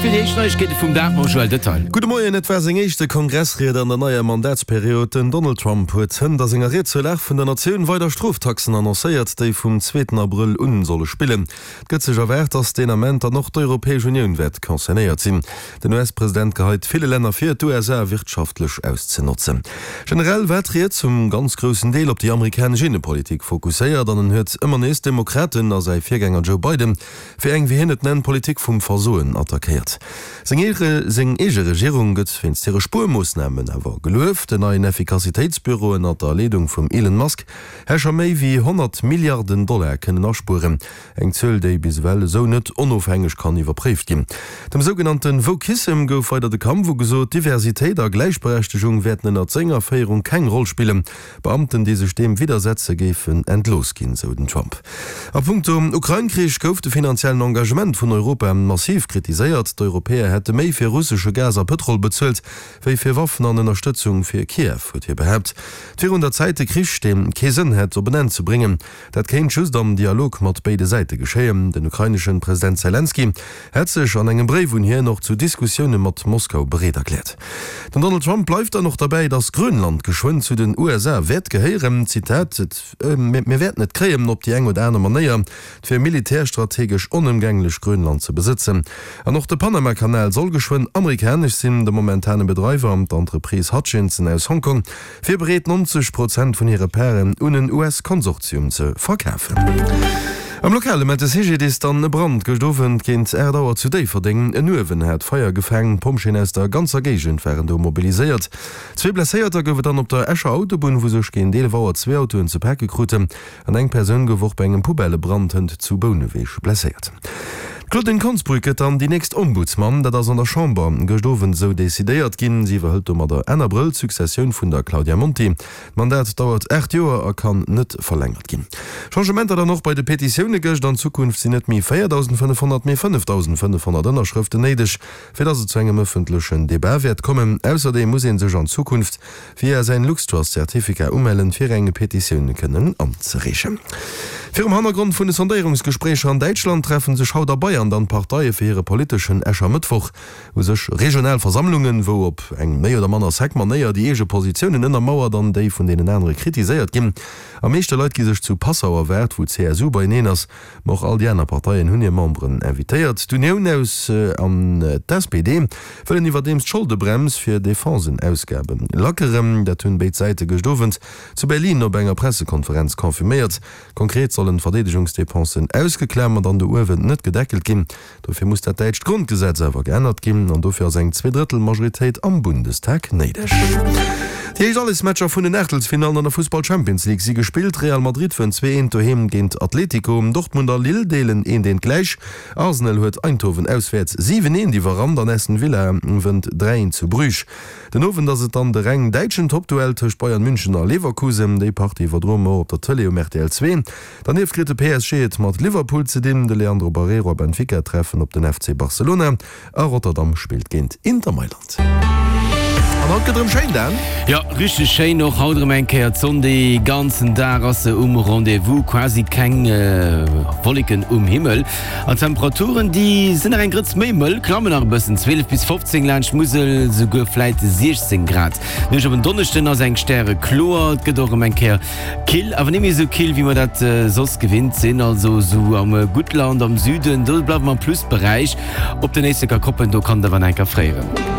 fir déi éischt Neiegkeete vum Dag mam Joël Detail. Gudde Moien, Et war seng éischte Kongressried an der neier Mandatsperiod. Den Donald Trump huet hënt a senger Ried zur Lag vun der Natioun weider Stroftaxen annoncéiert, déi vum zweeten Abrëll un solle spillen. Et gëtt sech erwaart, datt deen Ament dann och d'Europäesch Unioun wäert concernéiert sinn. Den US-President geheit ville Länner vir, d'USA wirtschaftlech auszenotzen. Generell war d'Ried zum ganz groussen Deel op déi amerikanesch Innepolitik fokusséiert an en huet ëmmer nees d'Demokraten a säi Virgänger Joe Biden fir eng, wéi hien et nennt, Politik vum Versoen attackéiert. Seng eege Regierung gëtt wéinst hire Spuermoossnamen awer gelueft. Den neien Effikassitéitsbüro ënnert der Leedung vum Elon Musk hätt scho méi wéi 100 Milliarden Dollar kënnen aspueren. Eng Zuel, déi bis ewell esou net onofhängeg kann iwwerpréift ginn. Dem sougenannte Wokissem gouf weider de Kampf ugesot. Diversitéit a Gläichberechtegung wäerten ënnert senger Féierung keng Roll spillen. Beamten, déi sech deem widdersetze géifen entlooss ginn, sou den Trump. A punkto Ukrain-Krich gouf de finanziellen Engagement vun Europa massiv kritiséiert. D'Europäer hätte méi fir russesche Gas a Pëtrol bezuelt, wéi fir Waffen an Ënnerstëtzung fir Kiew, huet hie behaapt. Et wier un der Zäit, de Krich, dee kee Sënn hätt, op en Enn ze bréngen. Dat kéint just am Dialog mat béide Säite geschéien. Den ukraineschen President Selenskyj hätt sech an engem Bréif un hien och zu Diskussioune mat Moskau bereet erkläert. Den Donald Trump bleift dann och derbäi, datt Grönland geschwënn zu den USA wäert gehéieren. Zitat, Mir wäerten et kréien, op déi eng oder aner Manéier. Et wier militärstrategesch onëmgänglech, Grönland ze besëtzen. An och de Panama-Kanal soll geschwënn amerikanesch sinn. De momentane Bedreiwer, d'Entreprise Hutchinson aus Hongkong, wier bereet 90 Prozent vun hire Paren un en US-Konsortium ze verkafen. Am Lokale mellt de CGDIS dann e Brand gëscht Owend géint 8 Auer zu Déifferdeng. En Uewen hat Feier gefaang. D'Pompjeeën aus der ganzer Géigend waren do mobiliséiert. Zwee Blesséierter gouf et dann op der Escher Autobunn, wou sech géint 11 Auer zwee Autoen ze pake kruten. An eng Persoun gouf och bei engem Poubellebrand hënt zu Bouneweg blesséiert. D'Claudine Konsbrück gëtt dann déi nächst Ombudsman. Dat ass an der Chamber gëscht Owend esou decidéiert ginn. Si iwwerhëlt domadder Enn Abrëll d'Successioun vun der Claudia Monti. D'Mandat dauert 8 Joer a kann net verlängert ginn. Changementer dann och bei de Petitioune gëscht. An Zukunft sinn net méi 4.500, mee 5.500 Ënnerschrëften néideg, fir datt et zu engem ëffentlechen Debat wäert kommen. Ausserdeem muss ee sech an Zukunft via säin LuxTrust-Certificat umellen, fir eng Petitioun kënnen anzereechen. Virum Hannergrond vun de Sondéierungsgespréicher an Däitschland treffen sech haut a Bayern dann d'Parteie fir hire politeschen Äschermëttwoch. U sech regional Versammlungen, wou op eng méi oder manner sec Manéier déi eege Positiounen ënnermauert an déi vun deenen anere kritiséiert ginn. Am meeschte Leit gi sech zu Passau erwaart, wou d'CSU beieneen ass. Ma och all déi aner Parteien hunn hir Memberen invitéiert. D'Unioun aus an d'SPD wëllen iwwerdeems d'Scholdebrems fir Defensenausgabe lackeren. Dat hunn béid Säite gëscht Owend zu Berlin op enger Pressekonferenz confirméiert. Konkret sollen d'Verdeedegungsdepensen ausgeklamert an do uewen net gedeckelt ginn. Dofir muss dat däitscht Grondgesetz awer geännert ginn an dofir ass eng Zweedrëttel-Majoritéit am Bundestag néideg. Déi éischt Allesmatcher vun den Aachtelsfinallen an der Fussball-Champions League si gespillt. Real Madrid wënnt 2, 1 doheem géint Atletico. Dortmund a Lille deelen 1, 1 gläich. Arsenal huet Eindhoven auswäerts 7, 1 iwwerrannt an Aston Villa wënnt 3, 1 zu Bruges. Den Owend ass et dann de reng däitschen Toppduell tëscht Bayern München a Leverkusen. Déi Partie iwwerdroe mer och op der Tëlee um rtl 2. Dernieft kritt de PSG et mat Liverpool ze dinn, de Leandro Barreiro a Benfica treffen op den FC Barcelona a Rotterdam spillt géint Inter Mailand. An haut gëtt erëm schéin, Dan. Jo, richteg schéin och haut erëm eng Kéier. D'Sonn dee ganzen Dag ass se um Rendez-vous, quasi keng Wolleken um Himmel. An d'Temperaturen déi sinn nach eng Grëtz méi mëll, klammen nach e bëssen, 12 bis 15 laanscht d'Musel, souguer vläit 16 Grad. Nuecht op en Donneschden ass eng stärekloer, et gëtt och erëm eng Kéier Kill, awer net méi esou kill wéi mer dat soss gewinnt sinn. Also esou am Guttland am Süden, do bleiwe mer am Plusberäich. Op den Éisleker Koppen, do kann et awer nach eng Kéier fréieren.